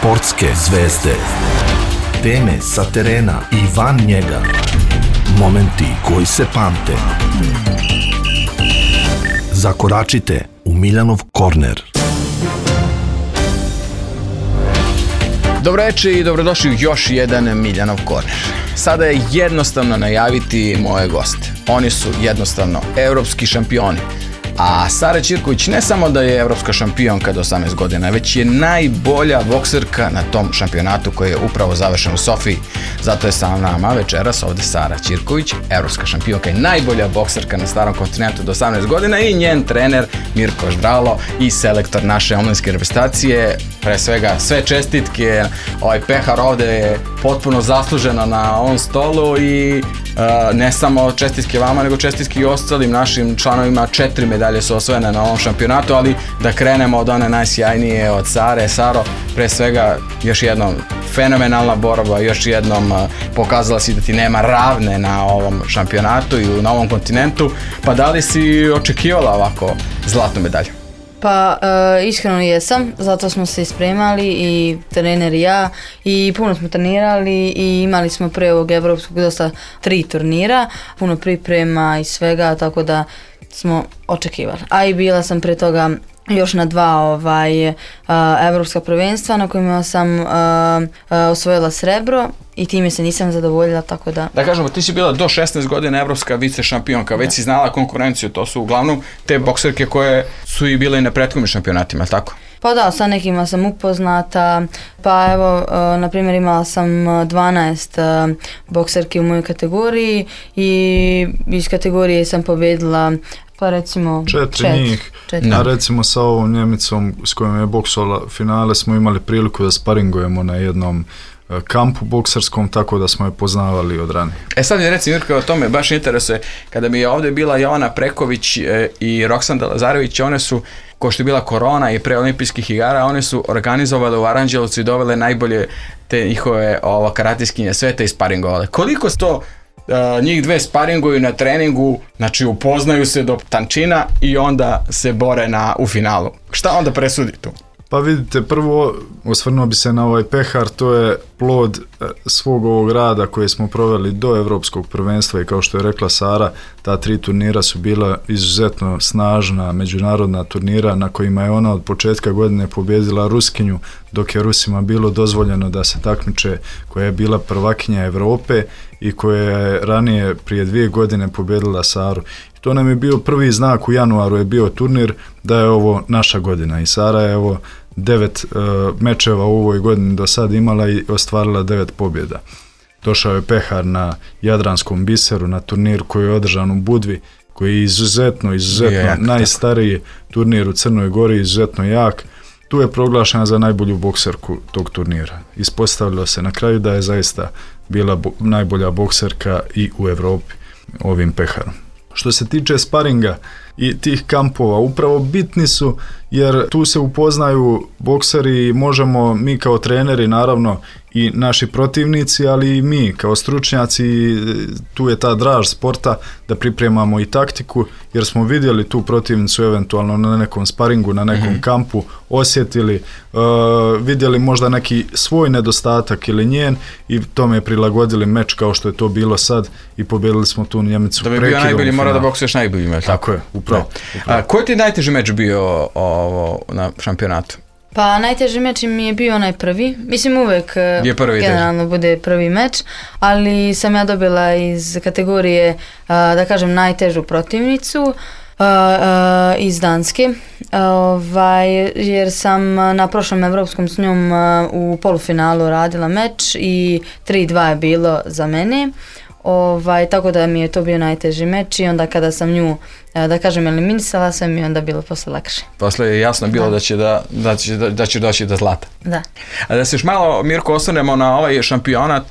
Sportske zvezde. Teme sa terena i van njega. Momenti koji se pamte. Zakoračite u Miljanov korner. Dobro večer i dobrodošli u još jedan Miljanov korner. Sada je jednostavno najaviti moje goste. Oni su jednostavno evropski šampioni. A Sara Ćirković ne samo da je evropska šampionka do 18 godina, već je najbolja bokserka na tom šampionatu koji je upravo završen u Sofiji. Zato je sa nama večeras ovde Sara Ćirković, evropska šampionka i najbolja bokserka na starom kontinentu do 18 godina i njen trener Mirko Ždralo i selektor naše omladinske reprezentacije. Pre svega sve čestitke, pehar ovde je potpuno zasluženo na ovom stolu i ne samo čestitke vama, nego čestitke i ostalim našim članovima. 4 medalje su osvojene na ovom šampionatu, ali da krenemo od one najsjajnije, od Sare. Saro, pre svega još jednom fenomenalna borba, još jednom pokazala si da ti nema ravne na ovom šampionatu i na ovom kontinentu, pa da li si očekivala ovako zlatnu medalju? Pa iskreno jesam, zato smo se ispremali i trener i ja i puno smo trenirali i imali smo pre ovog evropskog dosta 3 turnira, puno priprema i svega, tako da smo očekivali. A i bila sam pre toga još na 2 evropska prvenstva na kojima sam osvojila srebro i time se nisam zadovoljila, tako da... Da kažemo, ti si bila do 16 godina evropska vice šampionka, već si znala konkurenciju, to su uglavnom te bokserke koje su i bile i na prethodnim šampionatima, tako? Pa da, sa nekima sam upoznata, pa evo, na primjer imala sam 12 bokserki u mojoj kategoriji i iz kategorije sam pobjedila pa recimo 4 njih, a recimo sa ovom Njemicom s kojom je boksovala finale smo imali priliku da sparingujemo na jednom kampu bokserskom, tako da smo je poznavali od ranije. Sad mi reci Mirko, o tome baš interesuje, kada mi je ovdje bila Jovana Preković i Roksanda Lazarević, one su, ko što je bila korona i pre olimpijskih igara, one su organizovale u Aranđelovcu i dovele najbolje te njihove karateskinje sveta i sparingovale. Koliko su to njih dve sparinguju na treningu, znači upoznaju se do tančina i onda se bore u finalu. Šta onda presudi tu? Pa vidite, prvo osvrnuo bi se na ovaj pehar, to je plod svog ovog rada koje smo proveli do evropskog prvenstva i kao što je rekla Sara, ta 3 turnira su bila izuzetno snažna međunarodna turnira na kojima je ona od početka godine pobjedila Ruskinju, dok je Rusima bilo dozvoljeno da se takmiče, koja je bila prvakinja Evrope i koja je ranije prije 2 godine pobjedila Saru. To nam je bio prvi znak, u januaru je bio turnir da je ovo naša godina i Sara je 9 mečeva u ovoj godini do sad imala i ostvarila 9 pobjeda. Došao je pehar na Jadranskom biseru, na turnir koji je održan u Budvi, koji je izuzetno najstariji turnir u Crnoj Gori, izuzetno jak. Tu je proglašena za najbolju bokserku tog turnira. Ispostavilo se na kraju da je zaista bila najbolja bokserka i u Evropi ovim peharom. Što se tiče sparinga i tih kampova, upravo bitni su jer tu se upoznaju bokseri i možemo mi kao treneri naravno i naši protivnici, ali i mi kao stručnjaci, tu je ta draž sporta da pripremamo i taktiku jer smo vidjeli tu protivnicu eventualno na nekom sparingu, na nekom kampu, osjetili, vidjeli možda neki svoj nedostatak ili njen i tome prilagodili meč kao što je to bilo sad i pobjedili smo tu Njemicu. Da bi bio najbolji, mora da boksuješ najbolji meč. Tako je, upravo. Koji ti je najteži meč bio na šampionatu? Pa najteži meč mi je bio onaj prvi. Mislim uvek generalno bude prvi meč, ali sam ja dobila iz kategorije, da kažem, najtežu protivnicu iz Danske, jer sam na prošlom evropskom s njom u polufinalu radila meč i 3-2 je bilo za mene. Tako da mi je to bio najteži meč i onda kada sam nju, da kažem, eliminisala sam mi onda bilo posle lakše. Posle je jasno bilo da će doći do zlata. Da. A da se još malo, Mirko, osvrnemo na ovaj šampionat,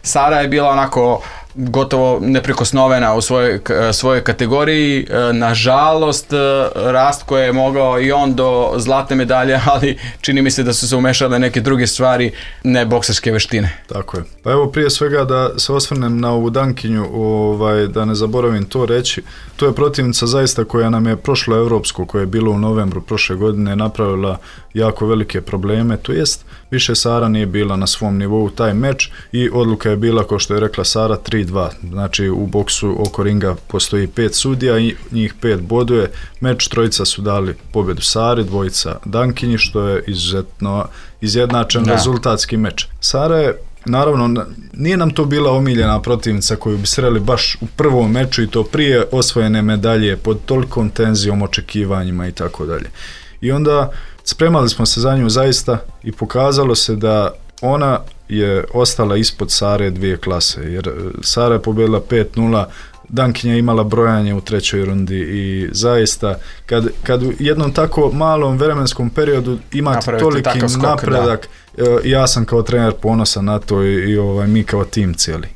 Sara je bila onako gotovo neprikosnovena u svojoj kategoriji. Nažalost, rast koji je mogao i on do zlatne medalje, ali čini mi se da su se umešale neke druge stvari, ne bokserske veštine. Tako je. Pa evo prije svega da se osvrnem na ovu Dankinju, da ne zaboravim to reći. To je protivnica zaista koja nam je prošlo evropsko, koje je bilo u novembru prošle godine, napravila jako velike probleme, to jest više Sara nije bila na svom nivou taj meč i odluka je bila, kao što je rekla Sara, 3-2. Znači u boksu oko ringa postoji 5 sudija i njih 5 boduje. Meč, trojica su dali pobjedu Sari, dvojica Dankinji, što je izuzetno izjednačen rezultatski meč. Sara je, naravno, nije nam to bila omiljena protivnica koju bi sreli baš u prvom meču i to prije osvojene medalje pod tolikom tenzijom, očekivanjima i tako dalje. I onda spremali smo se za nju zaista i pokazalo se da ona je ostala ispod Sare 2 klase, jer Sara je pobjedila 5-0, Dankinja je imala brojanje u 3. rundi i zaista kad u jednom tako malom vremenskom periodu imate toliki napredak, ja sam kao trener ponosan na to i mi kao tim cijeli.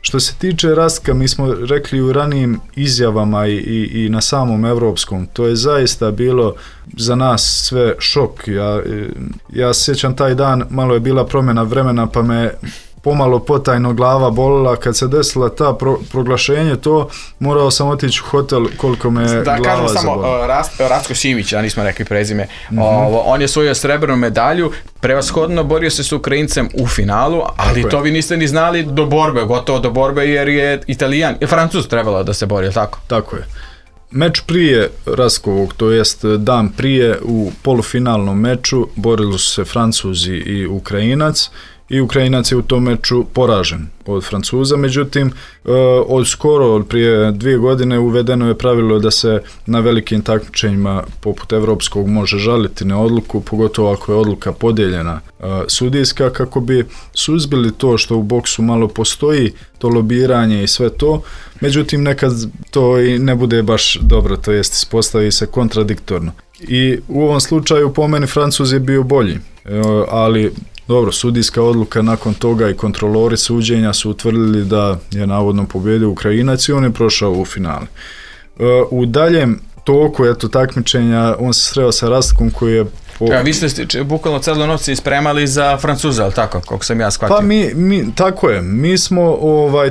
Što se tiče Rastka, mi smo rekli u ranijim izjavama i na samom evropskom, to je zaista bilo za nas sve šok. Ja se sjećam taj dan, malo je bila promjena vremena pa me pomalo potajno glava bolila kad se desila ta proglašenje, to morao sam otići u hotel koliko me glava zabolila. Da, kažem samo Rastko Simić, a nismo rekli prezime, on je osvojio srebrnu medalju, prevashodno borio se s Ukrajincem u finalu, ali to vi niste ni znali do borbe, gotovo do borbe, jer je Francuz trebalo da se bori, tako? Tako je. Meč prije Rastkovog, to jest dan prije, u polufinalnom meču borili su se Francuzi i Ukrajinac, i Ukrajinac je u tom meču poražen od Francuza, međutim od prije 2 godine uvedeno je pravilo da se na velikim takmičenjima poput evropskog može žaliti na odluku, pogotovo ako je odluka podijeljena sudijska, kako bi suzbili to što u boksu malo postoji, to lobiranje i sve to, međutim nekad to i ne bude baš dobro, to jest ispostavi se kontradiktorno. I u ovom slučaju po meni Francuz je bio bolji, ali dobro, sudijska odluka nakon toga i kontrolori suđenja su utvrdili da je navodno pobjedio Ukrajinac i on je prošao u finale. U daljem toku takmičenja on se sreo sa Rastkom koji je vi ste bukvalno celo noć se ispremali za Francuza, ali tako, kako sam ja shvatio? Pa tako je, mi smo,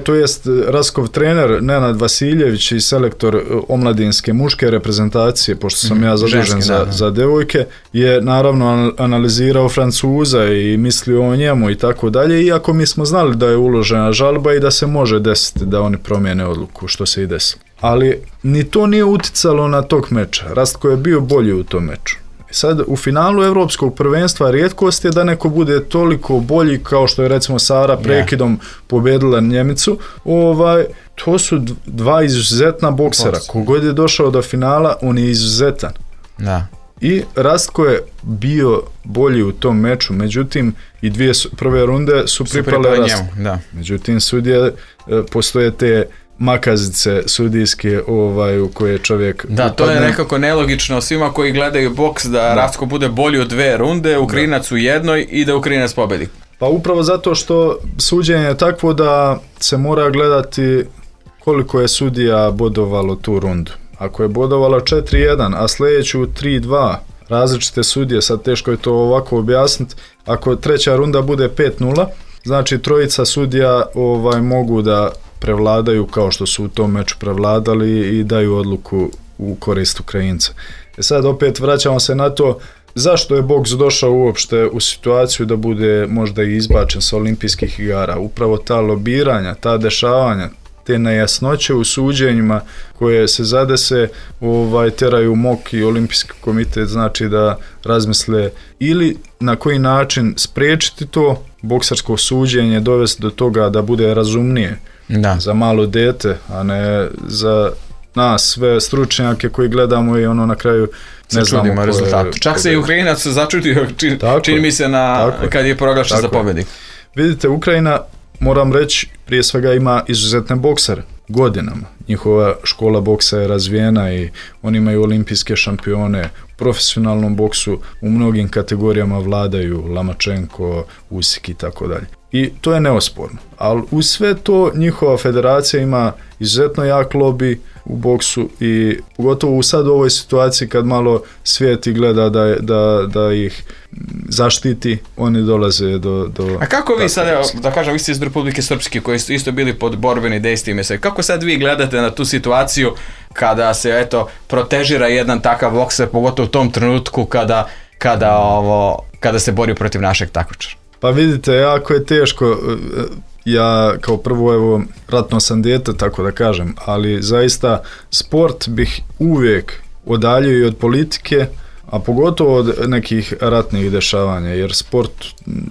to jest Rastkov trener Nenad Vasiljević i selektor omladinske muške reprezentacije, pošto sam ja zadužen za devojke, je naravno analizirao Francuza i mislio o njemu i tako dalje, iako mi smo znali da je uložena žalba i da se može desiti da oni promijene odluku, što se i desilo. Ali ni to nije uticalo na tog meča, Rastko je bio bolji u tom meču. Sad, u finalu evropskog prvenstva rijetkost je da neko bude toliko bolji kao što je recimo Sara prekidom pobjedila Njemicu. To su 2 izuzetna boksera. Kogod je došao do finala, on je izuzetan. Da. I Rastko je bio bolji u tom meču, međutim i 2 prve runde su pripale Rastku. Međutim, sudije, postoje te makazice sudijske u koje čovjek upadne. To je nekako nelogično svima koji gledaju boks da Rastko bude bolji u 2 runde, Ukrajinac u jednoj i da Ukrajinac pobedi. Pa upravo zato što suđenje je takvo da se mora gledati koliko je sudija bodovalo tu rundu. Ako je bodovalo 4-1, a sljedeću 3-2, različite sudije, sad teško je to ovako objasniti, ako 3. runda bude 5-0, znači trojica sudija mogu da prevladaju kao što su u tom meču prevladali i daju odluku u korist Ukrajinca. Sad opet vraćamo se na to zašto je boks došao uopšte u situaciju da bude možda i izbačen sa olimpijskih igara. Upravo ta lobiranja, ta dešavanja, te nejasnoće u suđenjima koje se zadese teraju MOK i olimpijski komitet, znači da razmisle ili na koji način spriječiti to boksersko suđenje, dovesti do toga da bude razumnije za malo dete, a ne za nas sve stručnjake koji gledamo i na kraju ne znamo rezultat. Čak se i Ukrajinac začudio, čini mi se kad je proglašen za pobjednik. Vidite, Ukrajina, moram reći, prije svega ima izuzetne boksere godinama njihova škola boksa je razvijena i oni imaju olimpijske šampione. U profesionalnom boksu u mnogim kategorijama vladaju Lamačenko, Usik i tako dalje. I to je neosporno. Ali uz sve to njihova federacija ima izuzetno jak lobby u boksu i pogotovo sad u ovoj situaciji kad malo svijet i gleda da ih zaštiti, oni dolaze do... A kako vi sad, da kažem, vi ste iz Republike Srpske koji ste isto bili pod borbenim dejstvima, kako sad vi gledate na tu situaciju kada se protežira jedan takav bokser, pogotovo u tom trenutku kada se bori protiv našeg takmičara? Pa vidite, jako je teško. Ja kao prvo, ratno sam dijete, tako da kažem, ali zaista sport bih uvijek odaljio i od politike, a pogotovo od nekih ratnih dešavanja, jer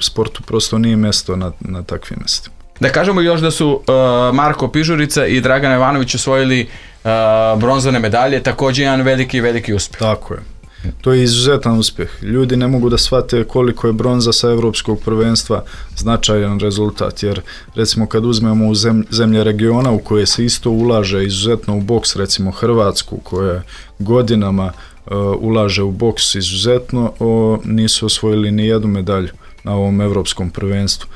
sportu prosto nije mjesto na takvim mjestima. Da kažemo još da su Marko Pižurica i Dragan Ivanović osvojili bronzane medalje, također jedan veliki uspjeh. Tako je. To je izuzetan uspjeh. Ljudi ne mogu da shvate koliko je bronza sa evropskog prvenstva značajan rezultat, jer recimo kad uzmemo u zemlje regiona u koje se isto ulaže izuzetno u boks, recimo Hrvatsku koja godinama ulaže u boks izuzetno, nisu osvojili ni jednu medalju na ovom evropskom prvenstvu.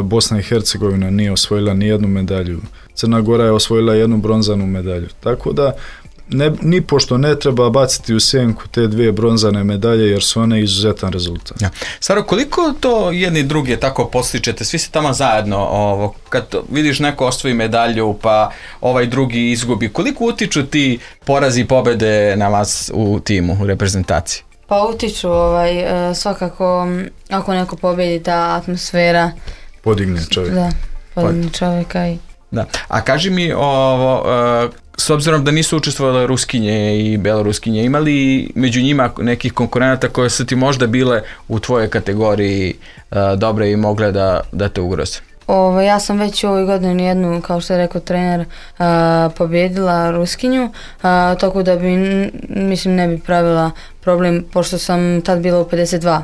Bosna i Hercegovina nije osvojila ni jednu medalju. Crna Gora je osvojila jednu bronzanu medalju. Tako da nipošto ne treba baciti u sjenku te dvije bronzane medalje jer su one izuzetan rezultat. Ja. Saro, koliko to jedni drugi tako postičete? Svi ste tamo zajedno, kad vidiš neko osvoji medalju pa ovaj drugi izgubi, koliko utiču ti porazi i pobjede na vas u timu, u reprezentaciji? Pa utiču, svakako ako neko pobjedi, ta atmosfera podigne čovjeka. Da, podigne čovjeka i... Da. A kaži mi s obzirom da nisu učestvovale Ruskinje i Beloruskinje, imali među njima nekih konkurenata koje su ti možda bile u tvojoj kategoriji dobre i mogle da te ugroze? Ja sam već u ovoj godini jednu, kao što je rekao trener, pobjedila Ruskinju, tako da ne bi pravila problem, pošto sam tad bila u 52.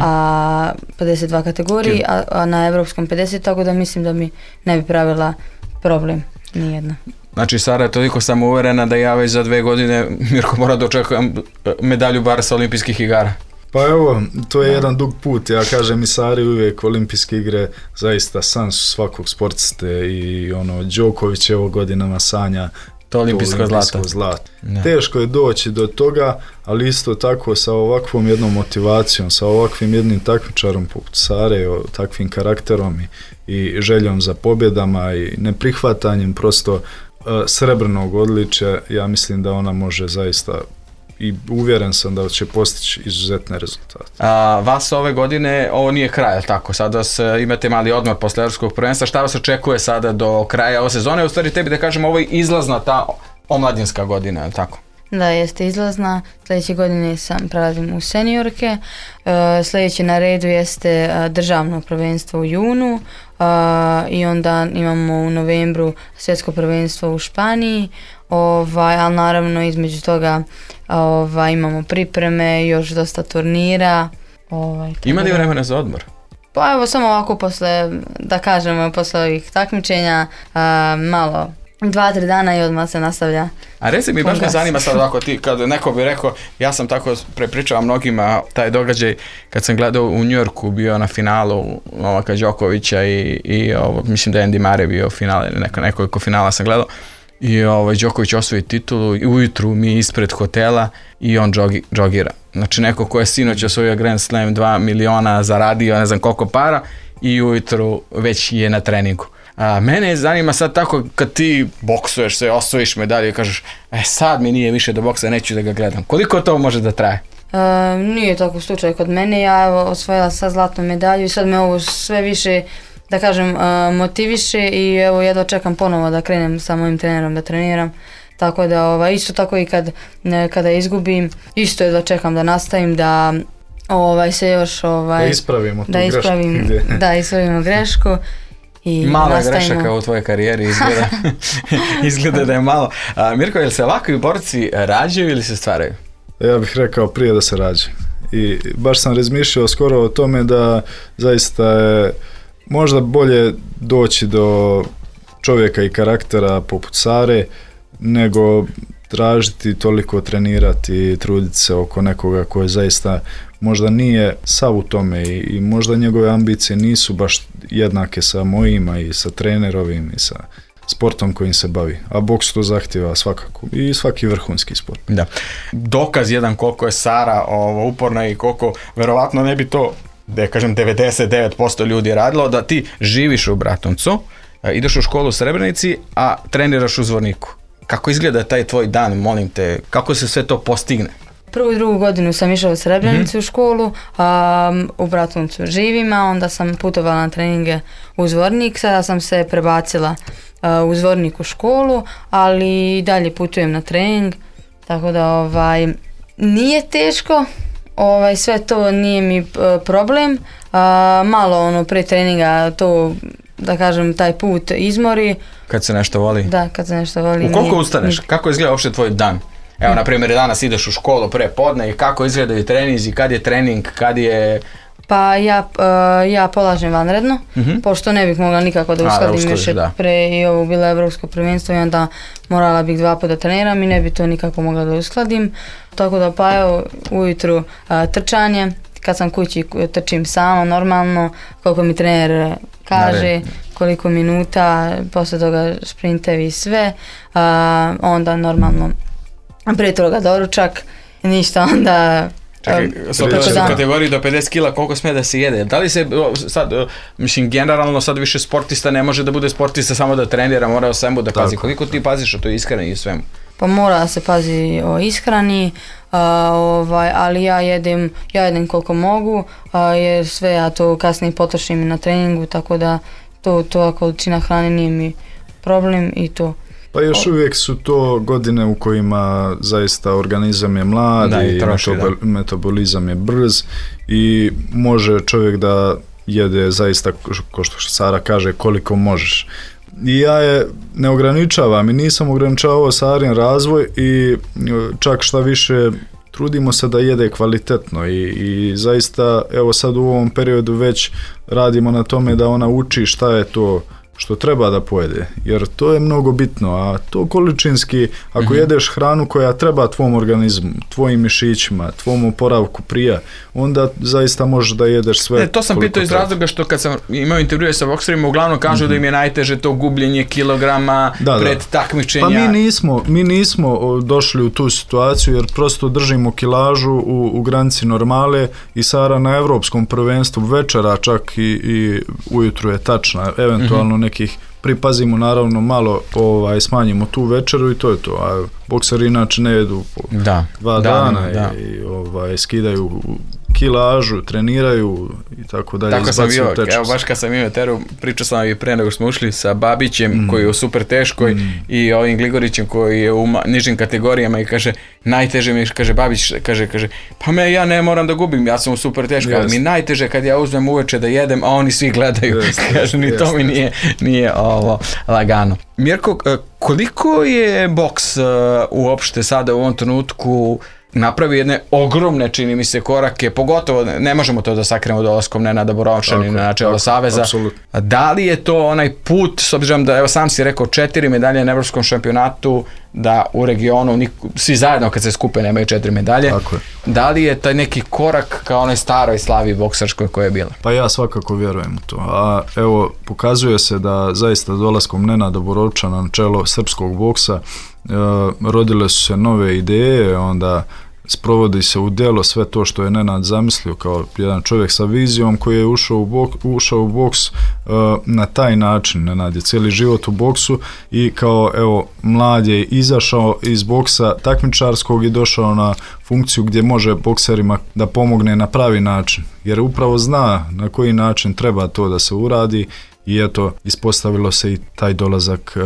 A 52 kategoriji, a na evropskom 50, tako da mislim da mi ne bi pravila problem, nijedna. Znači, Sara je toliko samouverena da ja već za 2 godine, Mirko, mora da očekujem medalju bar sa olimpijskih igara. Pa evo, to je jedan dug put. Ja kažem i Sari uvijek olimpijske igre zaista san su svakog sportiste i Đoković je ovo godinama sanja to olimpijsko zlato. Teško je doći do toga, ali isto tako sa ovakvom jednom motivacijom, sa ovakvim jednim takmičarom poput Sare, takvim karakterom i željom za pobjedama i neprihvatanjem prosto srebrnog odličja, ja mislim da ona može zaista i uvjeren sam da će postići izuzetne rezultate. Vas ove godine, ovo nije kraj, tako? Sada imate mali odmor posle evropskog prvenstva. Šta vas očekuje sada do kraja ove sezone? U stvari tebi da kažem, ovo je izlazna ta omladinska godina, tako? Da, jeste izlazna. Sljedeće godine prelazim u seniorke. Sljedeće na redu jeste državno prvenstvo u junu i onda imamo u novembru svjetsko prvenstvo u Španiji. Ali naravno između toga imamo pripreme, još dosta turnira. Ima li vremena za odmor? Pa evo samo ovako posle ovih takmičenja malo 2-3 dana i odmah se nastavlja. A reci mi, baš me zanima sad ovako ti, kad neko bi rekao, ja sam tako prepričao mnogima taj događaj kad sam gledao u New Yorku, bio na finalu Novaka Đokovića i mislim da je Andy Murray bio finale, nekoliko finala sam gledao. I Đoković osvoji titulu i ujutru mi ispred hotela i on džogira. Znači neko ko je sinoć osvojio Grand Slam 2 miliona, zaradio ne znam koliko para i ujutru već je na treningu. Mene zanima sad tako kad ti boksuješ se, osvojiš medalju i kažeš sad mi nije više do boksa, neću da ga gledam. Koliko to može da traje? Nije tako slučaj kod mene, ja osvojila sad zlatnu medalju i sad me ovo sve više da kažem motiviše i evo jedva čekam ponovo da krenem sa mojim trenerom da treniram, tako da isto tako i kada izgubim isto jedva čekam da nastavim da se još da ispravimo tu grešku. Da ispravimo grešku i malo je grešaka u tvojoj karijeri izgleda da je malo. Mirko, je li se ovakvi borci rađaju ili se stvaraju? Ja bih rekao prije da se rađaju i baš sam razmišljao skoro o tome da zaista je možda bolje doći do čovjeka i karaktera poput Sare, nego tražiti, toliko trenirati, truditi se oko nekoga koji zaista možda nije sav u tome i možda njegove ambicije nisu baš jednake sa mojima i sa trenerovim i sa sportom kojim se bavi, a boks to zahtjeva svakako i svaki vrhunski sport. Da. Dokaz jedan koliko je Sara uporna i koliko verovatno ne bi to, da kažem 99% ljudi radilo, da ti živiš u Bratuncu, ideš u školu u Srebrenici, a treniraš u Zvorniku. Kako izgleda taj tvoj dan, molim te, kako se sve to postigne? Prvu i drugu godinu sam išla u Srebrenicu u školu, u Bratuncu živim, a onda sam putovala na treninge u Zvornik, sada sam se prebacila u Zvornik u školu, ali dalje putujem na trening, tako da nije teško, sve to nije mi problem, malo prije treninga to, da kažem, taj put izmori. Kad se nešto voli? Da, kad se nešto voli. U koliko ustaneš? Kako izgleda uopšte tvoj dan? Evo, na primjer, danas ideš u školu pre podne i kako izgledaju treninzi, kad je trening, kad je... Pa ja polažem vanredno, pošto ne bih mogla nikako da uskladim još pre i ovo bilo evropsko prvenstvo i onda morala bih 2 puta treniram i ne bi to nikako mogla da uskladim. Tako da pa evo ujutru trčanje, kad sam kući trčim sama normalno, koliko mi trener kaže, koliko minuta, posle toga sprintevi i sve, onda normalno prije toga doručak, ništa onda... Čekaj, u kategoriji do 50 kila koliko smije da se jede? Da li se sad, mislim, generalno sad više sportista ne može da bude sportista samo da trenira, mora o svemu da pazi. Koliko ti paziš o toj ishrani i svemu? Pa mora da se pazi o ishrani, ali ja jedem koliko mogu, jer sve ja to kasnije potrošim i na treningu, tako da to količina hrane nije mi problem i to. Pa još uvijek su to godine u kojima zaista organizam je mlad i metabolizam je brz i može čovjek da jede zaista, kao što Sara kaže, koliko možeš. I ja je ne ograničavam i nisam ograničavao Sarin razvoj i čak šta više trudimo se da jede kvalitetno i zaista evo sad u ovom periodu već radimo na tome da ona uči šta je to što treba da pojede, jer to je mnogo bitno, a to količinski, ako jedeš hranu koja treba tvom organizmu, tvojim mišićima, tvom oporavku prija, onda zaista možeš da jedeš sve. To sam pitao iz razloga što kad sam imao intervjue sa bokserima, uglavnom kažu da im je najteže to gubljenje kilograma pred takmičenja. Pa mi nismo došli u tu situaciju jer prosto držimo kilažu u granici normale i Sara na evropskom prvenstvu večera čak i ujutru je tačna, eventualno nekih pripazimo, naravno malo smanjimo tu večeru i to je to, a bokseri inače ne jedu po 2 dana i skidaju kilažu, treniraju i tako dalje. Tako sam bio, evo baš kad sam imao teru, pričao sam i pre nego smo ušli sa Babićem koji je u super teškoj i ovim Gligorićem koji je u nižim kategorijama i kaže, najteže mi, kaže Babić, kaže, pa ja ne moram da gubim, ja sam u super teškoj, ali mi najteže kad ja uzmem uveče da jedem, a oni svi gledaju, kaže, ni to mi nije ovo lagano. Mirko, koliko je boks uopšte sada u ovom trenutku napravi jedne ogromne, čini mi se, korake, pogotovo ne možemo to da sakrijemo dolaskom Nenada Borovšanina na čelo Saveza. Apsolutno. Da li je to onaj put, s obzirom da, evo sam si rekao, 4 medalje na evropskom šampionatu, da u regionu svi zajedno kad se skupe nemaju 4 medalje. Da li je taj neki korak kao onoj staroj slavi bokserskoj koja je bila? Pa ja svakako vjerujem u to. A evo, pokazuje se da zaista dolaskom Nenada Borovčana na čelo srpskog boksa rodile su se nove ideje, onda sprovodi se u djelo sve to što je Nenad zamislio kao jedan čovjek sa vizijom koji je ušao u boks na taj način. Nenad je cijeli život u boksu i kao evo mlad je izašao iz boksa takmičarskog i došao na funkciju gdje može bokserima da pomogne na pravi način, jer upravo zna na koji način treba to da se uradi. I eto, ispostavilo se i taj dolazak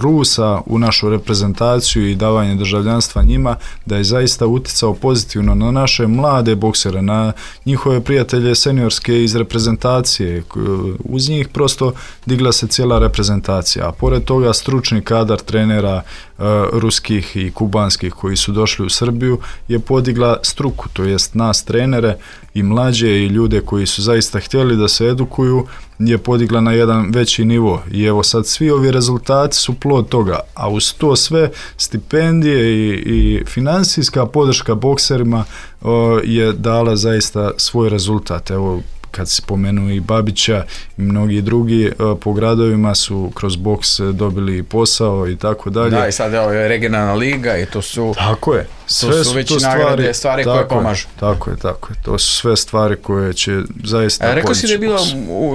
Rusa u našu reprezentaciju i davanje državljanstva njima, da je zaista uticao pozitivno na naše mlade boksere, na njihove prijatelje seniorske iz reprezentacije. Uz njih prosto digla se cijela reprezentacija, a pored toga stručni kadar trenera, ruskih i kubanskih koji su došli u Srbiju je podigla struku, to jest nas trenere i mlađe i ljude koji su zaista htjeli da se edukuju, je podigla na jedan veći nivo i evo sad svi ovi rezultati su plod toga, a uz to sve stipendije i financijska podrška bokserima je dala zaista svoj rezultat. Evo, kad se spomenu i Babića i mnogi drugi po gradovima su kroz boks dobili posao i tako dalje. Da, i sad je regionalna liga i to su... Tako je. Sve su već nagrade, stvari koje pomažu. Tako je. To su sve stvari koje će zaista podići. Rekao si da je bilo,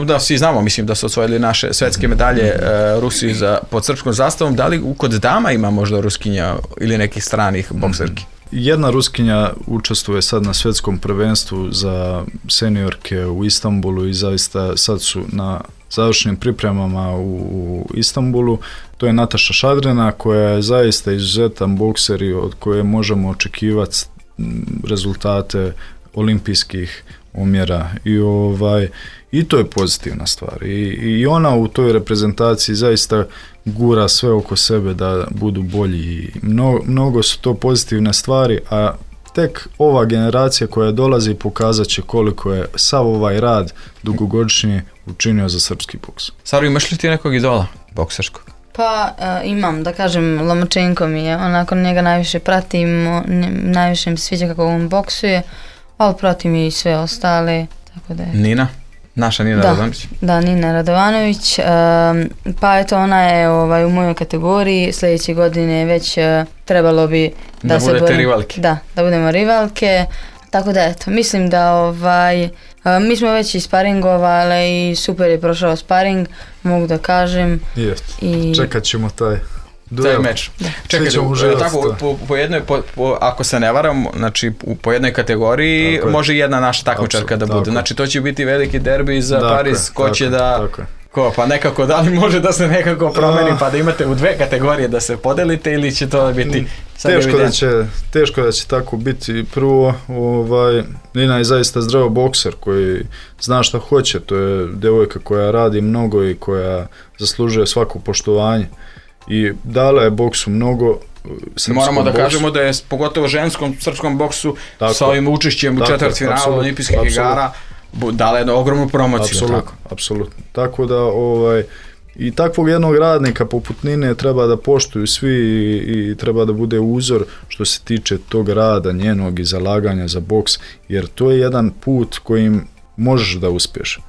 da svi znamo, mislim da su osvojili naše svetske medalje Rusi pod srpskom zastavom. Da li kod dama ima možda Ruskinja ili nekih stranih bokserki? Jedna Ruskinja učestvuje sad na svjetskom prvenstvu za seniorke u Istanbulu i zaista sad su na završnim pripremama u Istanbulu. To je Nataša Šadrena koja je zaista izuzetan bokser i od koje možemo očekivati rezultate olimpijskih omjera i to je pozitivna stvar i ona u toj reprezentaciji zaista gura sve oko sebe da budu bolji i mnogo su to pozitivne stvari, a tek ova generacija koja dolazi pokazat će koliko je sav ovaj rad dugogodišnji učinio za srpski boks. Saro, imaš li ti nekog idola bokserskog? Pa imam, da kažem, Lomachenko mi je, onako njega najviše pratim, najviše mi sviđa kako on boksuje, ali pratim i sve ostale, tako da je... Nina? Naša Nina Radovanović? Da, Nina Radovanović, pa eto ona je u mojoj kategoriji, sljedeće godine već trebalo bi da se budete rivalke. Da budemo rivalke, tako da eto, mislim da mi smo već i sparingovali i super je prošao sparing, mogu da kažem. Čekat ćemo taj meč. Čekaj, tako, po jednoj, ako se ne varam, znači po jednoj kategoriji može jedna naša takmičarka da bude. Znači to će biti veliki derbi za Pariz, ko će da... Pa nekako, da li može da se nekako promeni pa da imate u dve kategorije da se podelite ili će to biti... Teško da će tako biti. Prvo, Nina je zaista zdrav bokser koji zna šta hoće. To je devojka koja radi mnogo i koja zaslužuje svako poštovanje. I dala je boksu mnogo. Moramo da kažemo da je pogotovo ženskom srpskom boksu sa ovim učešćem u četvrtfinalu olimpijskih igara dala jednu ogromnu promociju. Apsolutno. Tako da i takvog jednog radnika poput Nine treba da poštuju svi i treba da bude uzor što se tiče tog rada njenog i zalaganja za boks, jer to je jedan put kojim možeš da uspješ.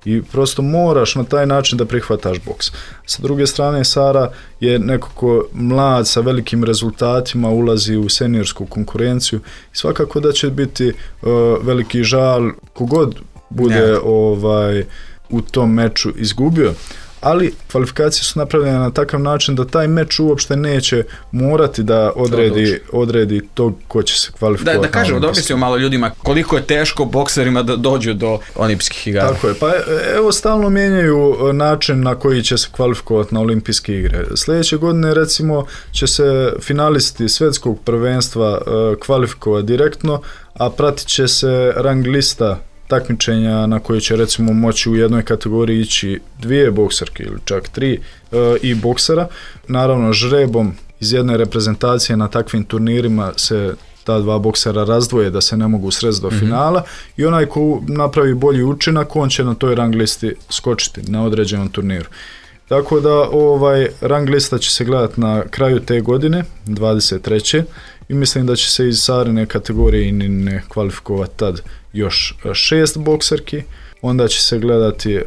I prosto moraš na taj način da prihvataš boks. Sa druge strane, Sara je nekako mlad sa velikim rezultatima, ulazi u seniorsku konkurenciju i svakako da će biti veliki žal kogod bude u tom meču izgubio. Ali kvalifikacije su napravljene na takav način da taj meč uopšte neće morati da odredi to ko će se kvalifikovati. Da kažemo, da objasnimo malo ljudima koliko je teško bokserima da dođu do olimpijskih igara. Tako je, pa evo stalno mijenjaju način na koji će se kvalifikovati na olimpijske igre. Sljedeće godine recimo će se finalisti svjetskog prvenstva kvalifikovati direktno, a pratit će se rang lista takmičenja na koje će recimo moći u jednoj kategoriji ići 2 bokserke ili čak 3 i boksera. Naravno, žrebom iz jedne reprezentacije na takvim turnirima se ta 2 boksera razdvoje da se ne mogu sresti do finala i onaj ko napravi bolji učinak, on će na toj rang listi skočiti na određenom turniru. Tako da rang lista će se gledati na kraju te godine, 23. i mislim da će se iz Sarine kategorije ne kvalifikovati tad još 6 bokserki. Onda će se gledati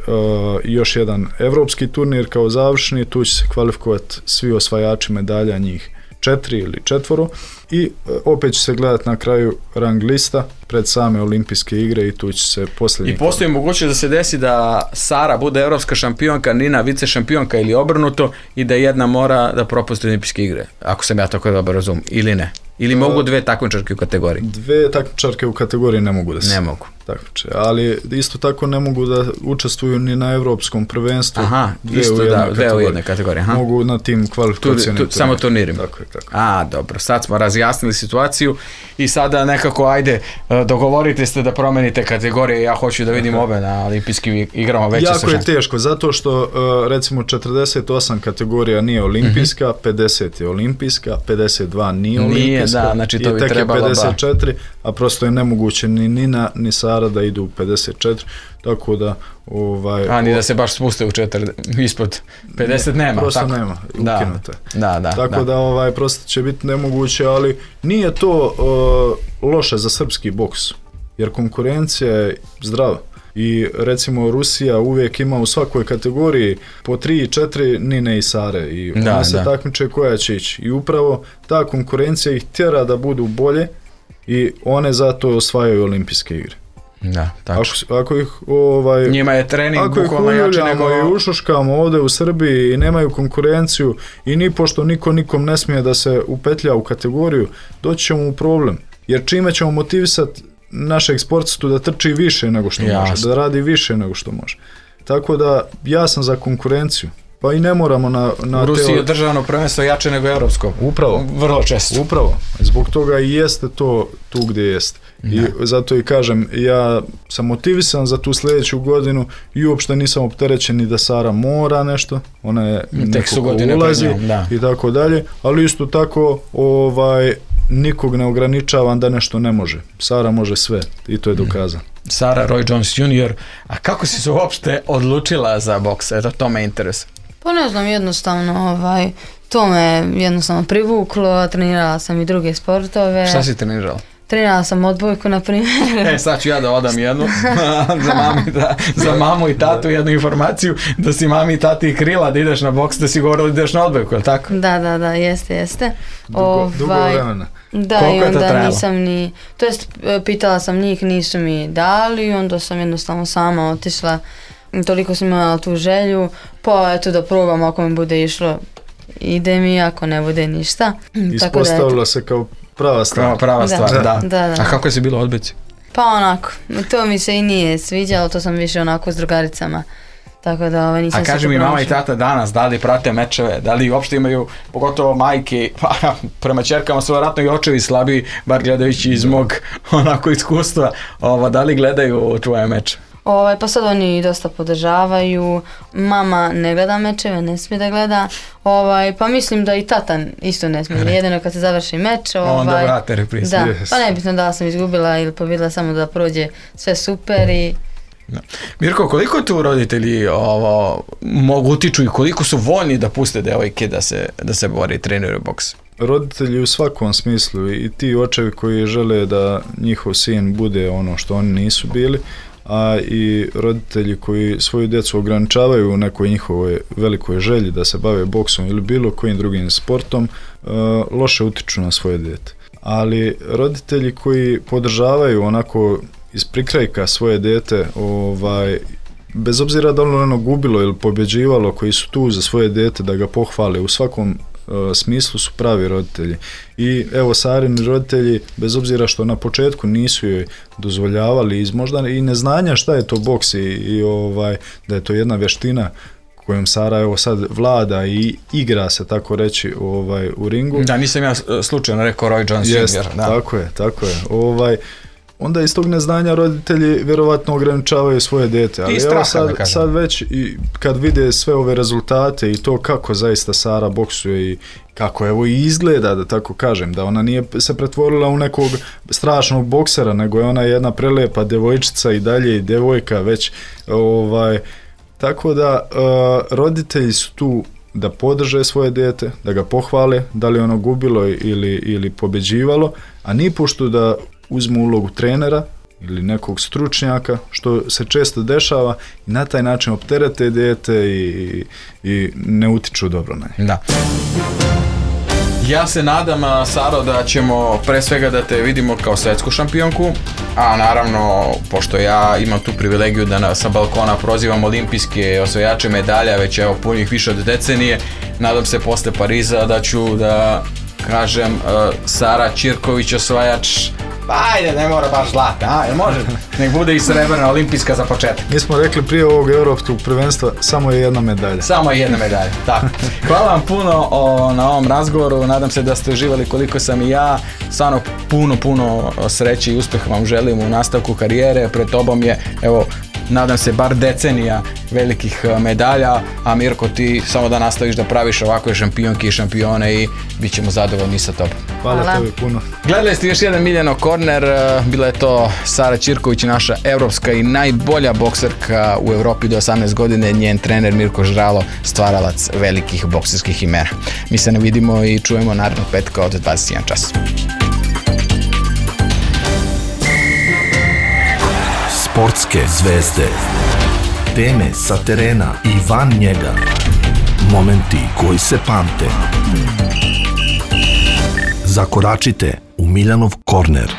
još jedan evropski turnir kao završni, tu će se kvalifikovati svi osvajači medalja, njih 4 ili 4 i opet će se gledati na kraju rang lista pred same olimpijske igre i tu će se posljednji... I postoji mogućnost da se desi da Sara bude evropska šampionka, Nina vice šampionka ili obrnuto i da jedna mora da propusti olimpijske igre, ako sam ja tako dobro razumio, ili ne? Ili mogu 2 takmičarke u kategoriji? 2 takmičarke u kategoriji ne mogu da se... Ne mogu. Takmiče, ali isto tako ne mogu da učestvuju ni na evropskom prvenstvu. Aha, isto u jednoj kategoriji. Mogu na tim kvalifikacijnim samo turnirima. Tako. Dobro, sad smo razjasnili situaciju i sada nekako, ajde, dogovorite ste da promenite kategorije, ja hoću da vidim obe na olimpijskim igrama veće sa ženama. Jako je teško, zato što recimo 48 kategorija nije olimpijska, 50 je olimpijska, 52 nije olimpijska, da, znači to i bi tek je trebalo 54, a prosto je nemoguće ni Nina ni Sara da idu u 54, tako da ni da se baš spuste u 4, ispod 50 nema. Prosto tako? nema, ukinuto je. Da. Tako da prosto će biti nemoguće, ali nije to loše za srpski boks, jer konkurencija je zdrava. I recimo Rusija uvijek ima u svakoj kategoriji po 3-4 Nine i Sare i one se takmiče koja će ići. I upravo ta konkurencija ih tjera da budu bolje i one zato osvajaju olimpijske igre. Da, tačno. Ako ih njima je trening bukvalno jače nego i ušuškamo ovdje u Srbiji i nemaju konkurenciju i nipošto niko nikom ne smije da se upetlja u kategoriju, doći ćemo u problem. Jer čime ćemo motivisati našeg sportistu da trči više nego što može, da radi više nego što može. Tako da ja sam za konkurenciju. Pa i ne moramo na u Rusiji je državno prvenstvo jače nego evropsko. Upravo. Vrlo često. Upravo. Zbog toga i jeste to tu gdje jeste. I zato i kažem, ja sam motivisan za tu sljedeću godinu i uopšte nisam opterećen ni da Sara mora nešto. Ona je neko ko ulazi i tako dalje. Ali isto tako nikog ne ograničavam da nešto ne može. Sara može sve i to je dokazano. Sara Roy Jones Jr. A kako si se uopšte odlučila za boks? Eto, to me interesuje. Pa ne znam, jednostavno, to me jednostavno privuklo, trenirala sam i druge sportove. Šta si trenirala? Trenirala sam odbojku, na primjer. Sad ću ja da odam jednu, za mamu i tatu jednu informaciju, da si mami i tati krila da ideš na boks, da si govorila da ideš na odbojku, je li tako? Da, jeste. Dugo vremena. Da, i onda nisam to jest pitala sam njih, nisu mi dali, onda sam jednostavno sama otišla, toliko sam imala tu želju, pa eto da probam, ako mi bude išlo, ide mi, ako ne bude ništa. Ispostavila se kao prava stvar. Prava stvar, da. A kako je si bilo odbojci? Pa onako, to mi se i nije sviđalo, to sam više onako s drugaricama. Tako da nisam. A kaži mi, mama i tata danas, da li prate mečeve, da li uopšte imaju, pogotovo majke, pa prema ćerkama su vjerojatno i očevi slabiji, bar gledajući iz mog onako iskustva, da li gledaju tvoje meče? Pa sad oni dosta podržavaju, mama ne gleda mečeve, ne smije da gleda, pa mislim da i tata isto ne smije, jedino kad se završi meč. Onda vrate reprizu. Da, pa nebitno da sam izgubila ili pobjedila, samo da prođe sve super i... Da. Mirko, koliko tu roditelji mogu utiču i koliko su voljni da puste devojke da se bore i treniraju boks? Roditelji u svakom smislu i ti očevi koji žele da njihov sin bude ono što oni nisu bili, a i roditelji koji svoju djecu ograničavaju u nekoj njihovoj velikoj želji da se bave boksom ili bilo kojim drugim sportom, loše utiču na svoje dijete. Ali roditelji koji podržavaju onako iz prikrajka svoje dijete, bez obzira da ono gubilo ili pobjeđivalo, koji su tu za svoje dijete da ga pohvale u svakom smislu, su pravi roditelji. I evo, Sarini roditelji, bez obzira što na početku nisu joj dozvoljavali iz možda i neznanja šta je to boks i da je to jedna vještina kojom Sara evo sad vlada i igra se, tako reći, u ringu. Da, nisam ja slučajno rekao Roy Jones Jr. Tako je. Onda iz tog neznanja roditelji vjerovatno ograničavaju svoje dijete. Ali evo sad već i kad vide sve ove rezultate i to kako zaista Sara boksuje i kako evo i izgleda, da tako kažem, da ona nije se pretvorila u nekog strašnog boksera, nego je ona jedna prelepa djevojčica i dalje i djevojka već. Tako da roditelji su tu da podrže svoje dijete, da ga pohvale, da li ono gubilo ili pobjeđivalo, a nipošto da uzmu ulogu trenera ili nekog stručnjaka, što se često dešava, i na taj način opterete dijete i ne utiču dobro na njih. Da. Ja se nadam, Saro, da ćemo pre svega da te vidimo kao svetsku šampionku, a naravno, pošto ja imam tu privilegiju da sa balkona prozivam olimpijske osvajače medalja, već evo punih više od decenije, nadam se posle Pariza da ću da kažem Sara Ćirković osvajač Pa ajde, ne mora baš zlata, a? Jel može? Nek bude i srebrna olimpijska za početak. Mi smo rekli prije ovog europskog prvenstva samo je jedna medalja. Samo je jedna medalja, tako. Hvala vam puno na ovom razgovoru, nadam se da ste uživali koliko sam i ja. Stvarno puno sreće i uspjeha vam želim u nastavku karijere. Pred tobom je, evo, nadam se bar decenija velikih medalja, a Mirko, ti samo da nastaviš da praviš ovakve šampionke i šampione i bit ćemo zadovoljni sa tobom. Hvala tebi puno. Gledali ste još jedan Miljanov korner, bila je to Sara Ćirković, naša evropska i najbolja bokserka u Europi do 18 godine, njen trener Mirko Žralo, stvaralac velikih bokserskih imena. Mi se ne vidimo i čujemo narednog petka od 21 čas. Sportske zvezde, teme sa terena i van njega, momenti koji se pamte. Zakoračite u Miljanov korner.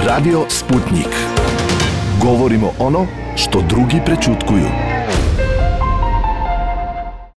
Radio Sputnik. Govorimo ono što drugi prećutkuju.